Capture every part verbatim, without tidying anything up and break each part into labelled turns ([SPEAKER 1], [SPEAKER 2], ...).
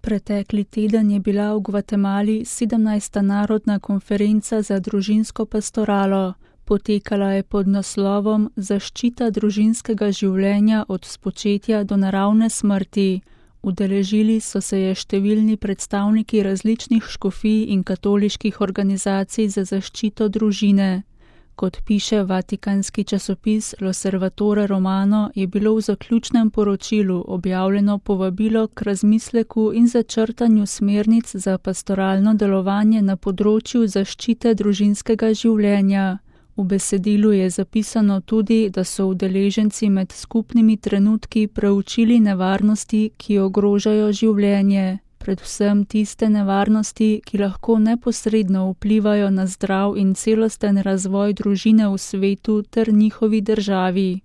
[SPEAKER 1] Pretekli teden je bila v Gvatemali sedemnajsta narodna konferenca za družinsko pastoralo. Potekala je pod naslovom Zaščita družinskega življenja od spočetja do naravne smrti. Udeležili so se je številni predstavniki različnih škofij in katoliških organizacij za zaščito družine. Kot piše vatikanski časopis L'Osservatore Romano, je bilo v zaključnem poročilu objavljeno povabilo k razmisleku in začrtanju smernic za pastoralno delovanje na področju zaščite družinskega življenja. V besedilu je zapisano tudi, da so udeleženci med skupnimi trenutki preučili nevarnosti, ki ogrožajo življenje. Predvsem tiste nevarnosti, ki lahko neposredno vplivajo na zdrav in celosten razvoj družine v svetu ter njihovi državi.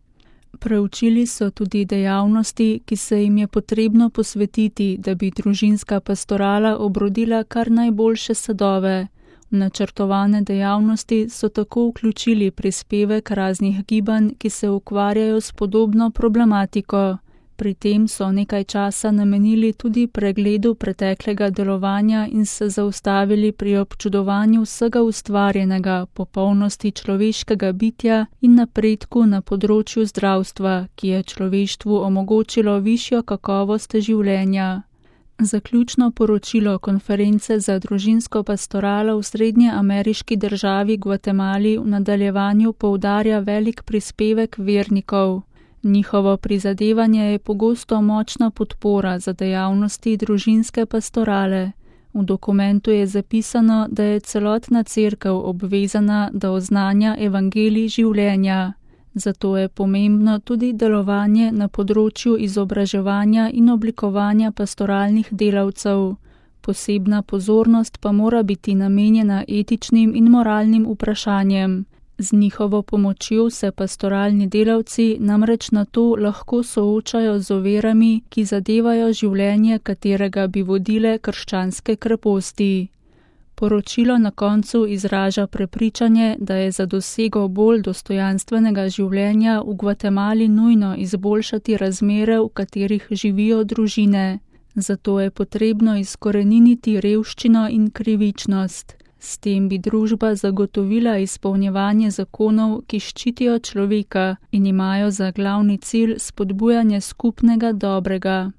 [SPEAKER 1] Preučili so tudi dejavnosti, ki se jim je potrebno posvetiti, da bi družinska pastorala obrodila kar najboljše sadove. V načrtovane dejavnosti so tako vključili prispevek raznih gibanj, ki se ukvarjajo s podobno problematiko. Pri tem so nekaj časa namenili tudi pregledu preteklega delovanja in se zaustavili pri občudovanju vsega ustvarjenega, popolnosti človeškega bitja in napredku na področju zdravstva, ki je človeštvu omogočilo višjo kakovost življenja. Zaključno poročilo konference za družinsko pastoralo v srednjeameriški državi Gvatemali v nadaljevanju poudarja velik prispevek vernikov. Njihovo prizadevanje je pogosto močna podpora za dejavnosti družinske pastorale. V dokumentu je zapisano, da je celotna cerkev obvezana, da oznanja evangelij življenja. Zato je pomembno tudi delovanje na področju izobraževanja in oblikovanja pastoralnih delavcev. Posebna pozornost pa mora biti namenjena etičnim in moralnim vprašanjem. Z njihovo pomočjo se pastoralni delavci namreč na to lahko soočajo z ovirami, ki zadevajo življenje, katerega bi vodile krščanske kreposti. Poročilo na koncu izraža prepričanje, da je za dosego bolj dostojanstvenega življenja v Gvatemali nujno izboljšati razmere, v katerih živijo družine. Zato je potrebno izkoreniniti revščino in krivičnost. S tem bi družba zagotovila izpolnjevanje zakonov, ki ščitijo človeka in imajo za glavni cilj spodbujanje skupnega dobrega.